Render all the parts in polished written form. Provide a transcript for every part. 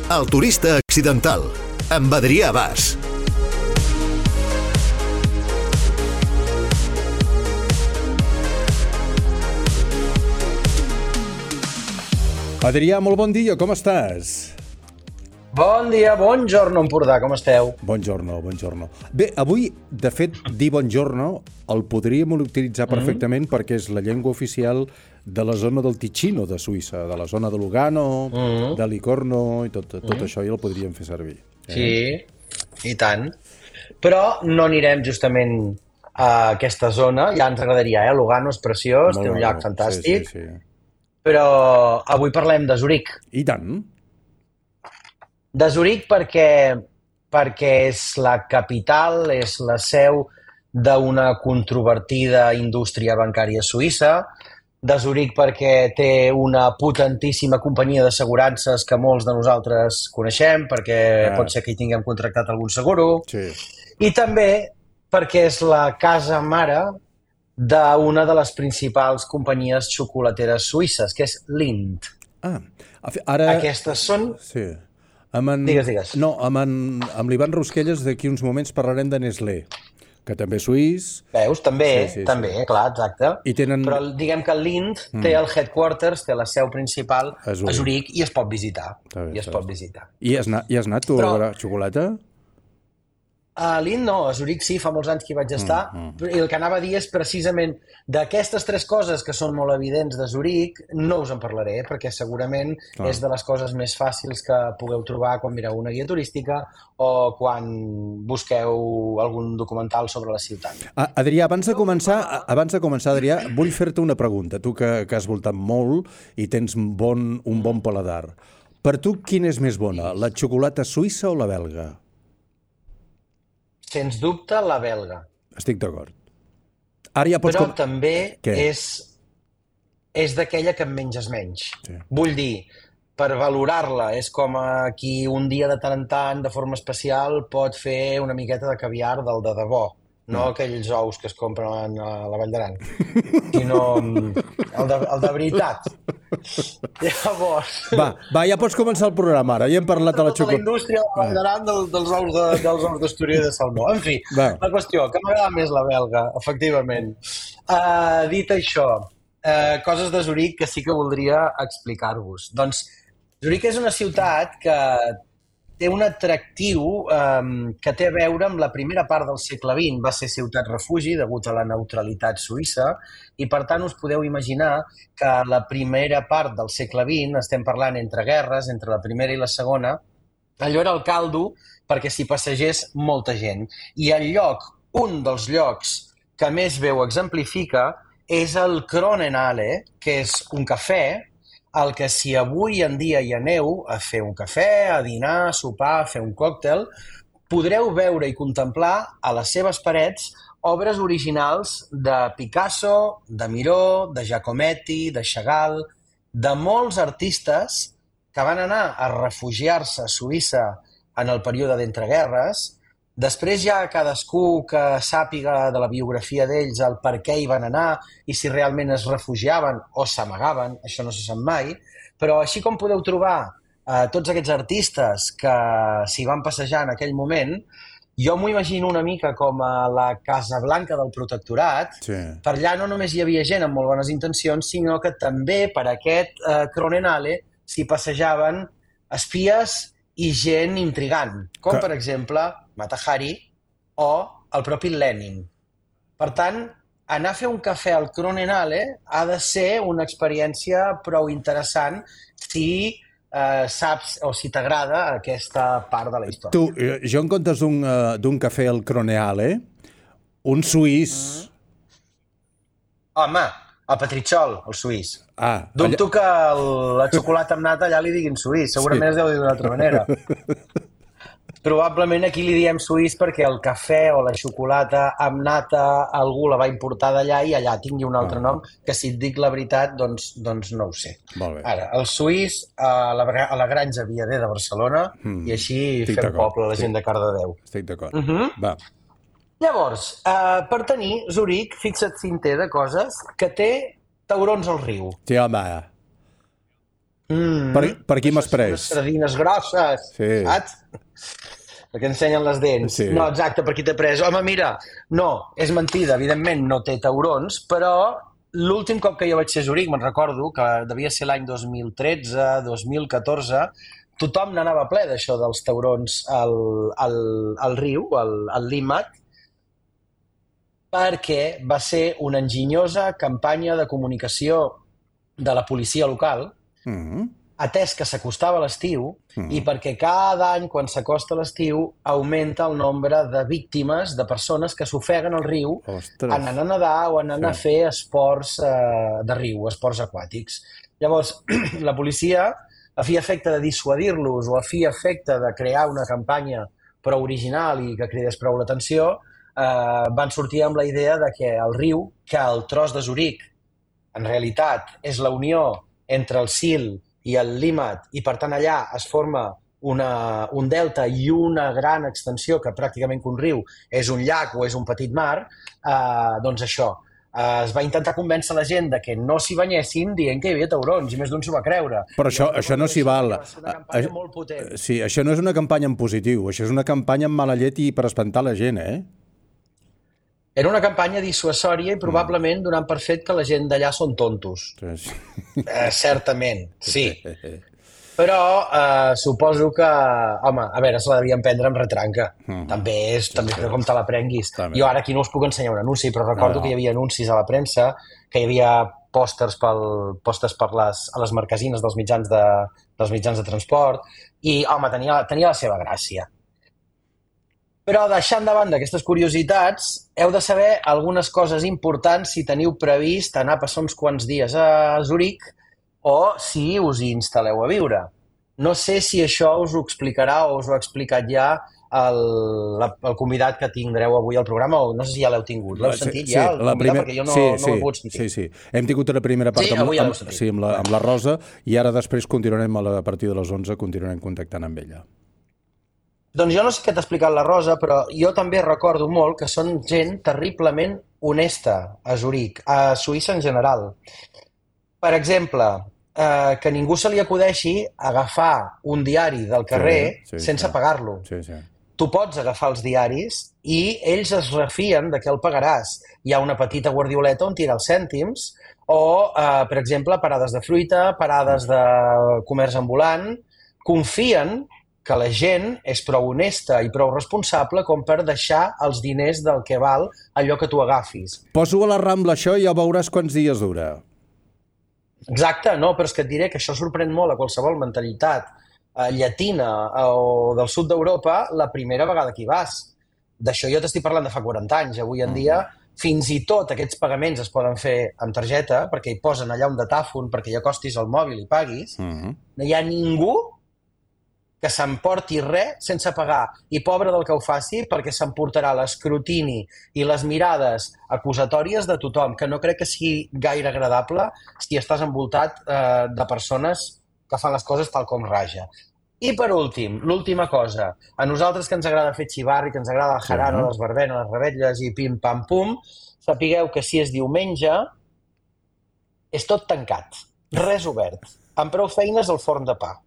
El turista accidental, amb Adrià Bas. Adrià, molt bon dia, com estàs? Bon dia, buongiorno, Empordà, com esteu? Buongiorno. Bé, avui, de fet, dir buongiorno el podríem utilitzar perfectament perquè és la llengua oficial de la zona del Ticino de Suïssa, de la zona de Lugano, de Livorno i tot això ja el podríem fer servir. Sí, i tant. Però no anirem justament a aquesta zona, ja ens agradaria, Lugano és preciós, té un llac fantàstic, sí. Però avui parlem de Zuric. I tant. De Zuric perquè és la capital, és la seu d'una controvertida indústria bancària suïssa, de Zuric perquè té una potentíssima companyia d'assegurances que molts de nosaltres coneixem, perquè pot ser que hi tinguem contractat algun seguro, i també perquè és la casa mare d'una de les principals companyies xocolateres suïsses, que és Lindt. Ara... Aquestes són... Sí. Digues. No, amb l'Ivan Rusquelles d'aquí uns moments parlarem de Nestlé, que també és suís. Veus? També, clar, exacte. Però diguem que Lindt té el headquarters, té la seu principal a Zuric i es pot visitar. I has anat tu a veure xocolata? A Lindt no, a Zuric sí, fa molts anys que hi vaig estar, i el que anava a dir és precisament d'aquestes tres coses que són molt evidents de Zuric, no us en parlaré, perquè segurament és de les coses més fàcils que pugueu trobar quan mireu una guia turística o quan busqueu algun documental sobre la ciutat. Adrià, abans de començar, Adrià, vull fer-te una pregunta, tu que has voltat molt i tens un bon paladar. Per tu, quina és més bona, la xocolata suïssa o la belga? Sens dubte, la belga. Estic d'acord. Ja però també és d'aquella que en menges menys. Sí. Vull dir, per valorar-la, és com qui un dia de tant en tant, de forma especial, pot fer una miqueta de caviar del de debò. No aquells ous que es compren a la Vall d'Aran, sinó el de veritat. Llavors... Va, ja pots començar el programa ara, ja hem parlat de la xocolata. La indústria de la Vall d'Aran dels ous d'Astúries de salmó. En fi, la qüestió, que m'agrada més la belga, efectivament. Dit això, coses de Zuric que sí que voldria explicar-vos. Doncs Zuric és una ciutat que té un atractiu que té a veure amb la primera part del segle XX. Va ser ciutat refugi degut a la neutralitat suïssa i, per tant, us podeu imaginar que la primera part del segle XX, estem parlant entre guerres, entre la primera i la segona, allò era el caldo perquè s'hi passegés molta gent. I un dels llocs que més bé ho exemplifica és el Kronenhalle, que és un cafè el que si avui en dia hi aneu a fer un cafè, a dinar, a sopar, a fer un còctel, podreu veure i contemplar a les seves parets obres originals de Picasso, de Miró, de Giacometti, de Chagall, de molts artistes que van anar a refugiar-se a Suïssa en el període d'entreguerres. Després ja cadascú que sàpiga de la biografia d'ells el per què hi van anar i si realment es refugiaven o s'amagaven, això no se sap mai, però així com podeu trobar tots aquests artistes que s'hi van passejar en aquell moment, jo m'ho imagino una mica com a la Casa Blanca del Protectorat. Per allà no només hi havia gent amb molt bones intencions, sinó que també per aquest Kronenhalle s'hi passejaven espies i gent intrigant, com per exemple Mata Hari o el propi Lenin. Per tant, anar a fer un cafè al Kronenhalle ha de ser una experiència prou interessant si saps o si t'agrada aquesta part de la història. Tu, jo en comptes d'un cafè al Kronenhalle, un suís... Home, el Petrichol, el suís. Dubto que la xocolata amb nata allà li diguin suís, segurament es deu dir d'una altra manera. Probablement aquí li diem suís perquè el cafè o la xocolata amb nata algú la va importar d'allà i allà tingui un altre nom, que si et dic la veritat, doncs no ho sé. Ara, el suís a la Granja Viader de Barcelona i així fem poble la gent de Cardedeu. Estic d'acord. Va. Llavors, per tenir Zuric, fixa't si en té de coses, que té taurons al riu. Sí, home. Per qui m'has pres? Unes sardines grosses, saps? Perquè ensenyen les dents. Sí. No, exacte, per qui t'he pres. Home, mira, no, és mentida, evidentment no té taurons, però l'últim cop que jo vaig ser a Zuric, me'n recordo, que devia ser l'any 2013, 2014, tothom n'anava ple d'això dels taurons al riu, al Limmat, perquè va ser una enginyosa campanya de comunicació de la policia local, atès que s'acostava l'estiu i perquè cada any, quan s'acosta l'estiu, augmenta el nombre de víctimes, de persones que s'ofeguen al riu anant a nedar o anant a fer esports de riu, esports aquàtics. Llavors, la policia, a fi efecte de dissuadir-los o a fi efecte de crear una campanya prou original i que cridés prou l'atenció, van sortir amb la idea de que el riu, que el tros de Zuric, en realitat, és la unió entre el Sil i el Limmat, i per tant allà es forma un delta i una gran extensió, que pràcticament un riu és un llac o és un petit mar, doncs això, es va intentar convèncer la gent de que no s'hi banyessin dient que hi havia taurons, i més d'un s'ho va creure. Però això no s'hi val. Va ser una campanya molt potent. Sí, això no és una campanya en positiu, això és una campanya amb mala llet i per espantar la gent, Era una campanya dissuasòria i probablement donant per fet que la gent d'allà són tontos. Sí. Certament, sí. Però suposo que, home, a veure, se la devien prendre amb retranca. També és com te la prenguis. Jo ara aquí no us puc ensenyar un anunci, però recordo que hi havia anuncis a la premsa, que hi havia pòsters a les marquesines dels mitjans de transport, i, home, tenia la seva gràcia. Però deixant de banda aquestes curiositats, heu de saber algunes coses importants si teniu previst anar a passar uns quants dies a Zuric o si us hi instal·leu a viure. No sé si això us ho explicarà o us ho ha explicat ja el convidat que tindreu avui al programa, o no sé si ja l'heu tingut. L'heu sentit ja, el convidat, perquè jo no ho he pogut sentir. Sí. Hem tingut una primera part amb la Rosa i ara després continuarem a partir de les 11 continuarem contactant amb ella. Doncs jo no sé què t'ha explicat la Rosa, però jo també recordo molt que són gent terriblement honesta a Zuric, a Suïssa en general. Per exemple, que ningú se li acudeixi agafar un diari del carrer sense pagar-lo. Tu pots agafar els diaris i ells es refien de que el pagaràs. Hi ha una petita guardioleta on tira els cèntims, o, per exemple, parades de fruita, parades de comerç ambulant, confien que la gent és prou honesta i prou responsable com per deixar els diners del que val allò que tu agafis. Poso a la Rambla això i ja veuràs quants dies dura. Exacte, no, però és que et diré que això sorprèn molt a qualsevol mentalitat llatina o del sud d'Europa la primera vegada que hi vas. D'això jo t'estic parlant de fa 40 anys. Avui en dia, fins i tot aquests pagaments es poden fer amb targeta, perquè hi posen allà un datàfon perquè ja acostis el mòbil i paguis. No hi ha ningú que s'emporti res sense pagar. I pobre del que ho faci, perquè s'emportarà l'escrutini i les mirades acusatòries de tothom, que no crec que sigui gaire agradable si estàs envoltat de persones que fan les coses tal com raja. I per últim, l'última cosa, a nosaltres que ens agrada fer xivarri, que ens agrada el jarana, les verbenes, les revetlles i pim-pam-pum, sapigueu que si és diumenge és tot tancat, res obert, amb prou feines al forn de pa.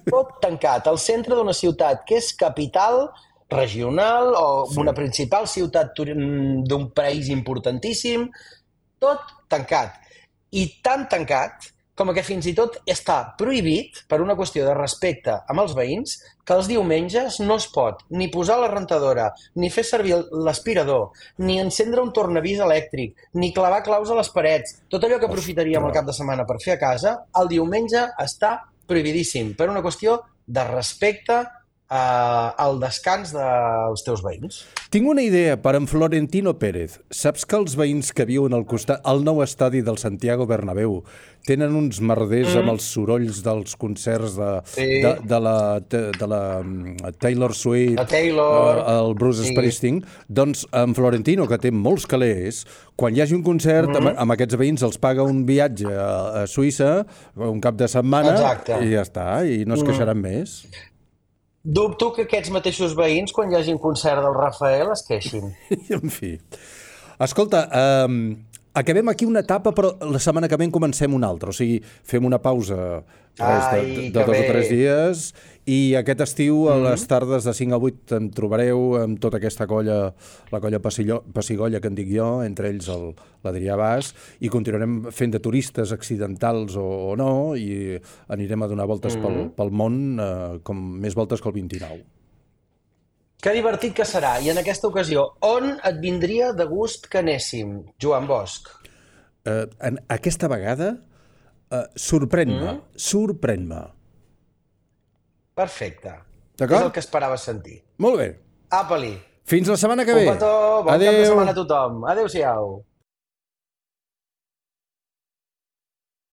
Tot tancat, al centre d'una ciutat que és capital regional o una principal ciutat d'un país importantíssim, tot tancat. I tan tancat com que fins i tot està prohibit, per una qüestió de respecte amb els veïns, que els diumenges no es pot ni posar la rentadora, ni fer servir l'aspirador, ni encendre un tornavís elèctric, ni clavar claus a les parets. Tot allò que aprofitaríem el cap de setmana per fer a casa, el diumenge està prohibidíssim, per una qüestió de respecte al descans dels teus veïns. Tinc una idea per en Florentino Pérez. Saps que els veïns que viuen al costat, al nou estadi del Santiago Bernabéu, tenen uns merders amb els sorolls dels concerts de la Taylor Swift, el Bruce Springsteen? Doncs en Florentino, que té molts calés, quan hi hagi un concert, amb aquests veïns els paga un viatge a Suïssa, un cap de setmana, i ja està, i no es queixaran més. Dubto que aquests mateixos veïns, quan hi hagi un concert del Rafael, es queixin. En fi. Escolta, acabem aquí una etapa, però la setmana que ve en comencem una altra. O sigui, fem una pausa de 2 o 3 dies i aquest estiu a les tardes de 5 a 8 em trobareu amb tota aquesta colla, la colla Pessigolles que en dic jo, entre ells l'Adrià Bas, i continuarem fent de turistes accidentals o no, i anirem a donar voltes pel món, com més voltes que el 29. Que divertit que serà. I en aquesta ocasió, on et vindria de gust que anéssim, Joan Bosch? Aquesta vegada, sorprèn-me. Perfecte. D'acord? És el que esperava sentir. Molt bé. Apa-li. Fins la setmana que ve. Un petó, bon cap de setmana a tothom. Adéu-siau.